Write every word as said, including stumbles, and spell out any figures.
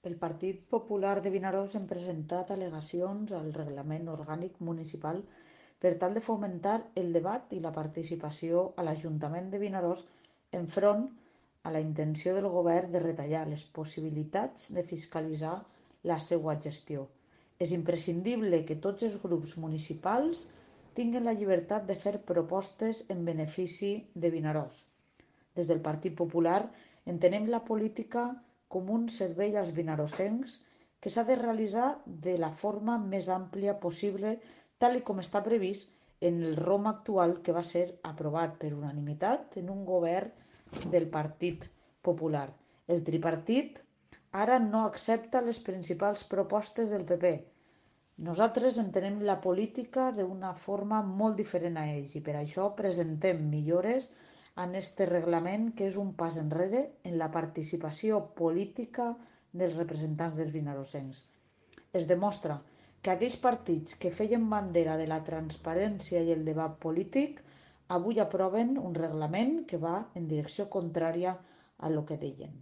El Partit Popular de Vinaròs hem presentat al·legacions al Reglament Orgànic Municipal per tal de fomentar el debat i la participació a l'Ajuntament de Vinaròs enfront a la intenció del govern de retallar les possibilitats de fiscalitzar la seva gestió. És imprescindible que tots els grups municipals tinguin la llibertat de fer propostes en benefici de Vinaròs. Des del Partit Popular entenem la política com un servei als vinarossencs que s'ha de realitzar de la forma més àmplia possible, tal com està previst en el ROM actual que va ser aprovat per unanimitat en un govern del Partit Popular. El tripartit ara no accepta les principals propostes del P P. Nosaltres entenem la política d'una forma molt diferent a ells i per això presentem millores en este reglament, que és un pas enrere en la participació política dels representants dels vinarossencs. Es demostra que aquells partits que feien bandera de la transparència i el debat polític avui aproven un reglament que va en direcció contrària a lo que deien.